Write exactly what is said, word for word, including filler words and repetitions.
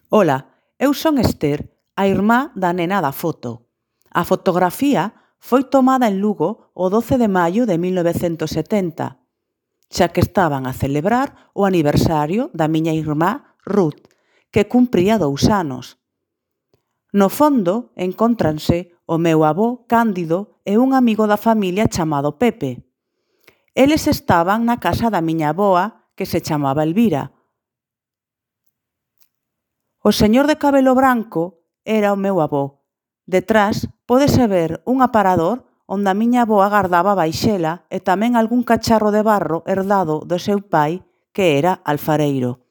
Ola, eu son Ester, a irmá da nena da foto. A fotografía foi tomada en Lugo o doce de maio de mil novecentos setenta, xa que estaban a celebrar o aniversario da miña irmá Ruth, que cumpría dous anos. No fondo encóntranse o meu avó Cándido e un amigo da familia chamado Pepe. Eles estaban na casa da miña avoa, que se chamaba Elvira. O señor de cabelo branco era o meu avó. Detrás pódese ver un aparador onde a miña avoa gardaba a vaixela e tamén algún cacharro de barro herdado do seu pai, que era alfareiro.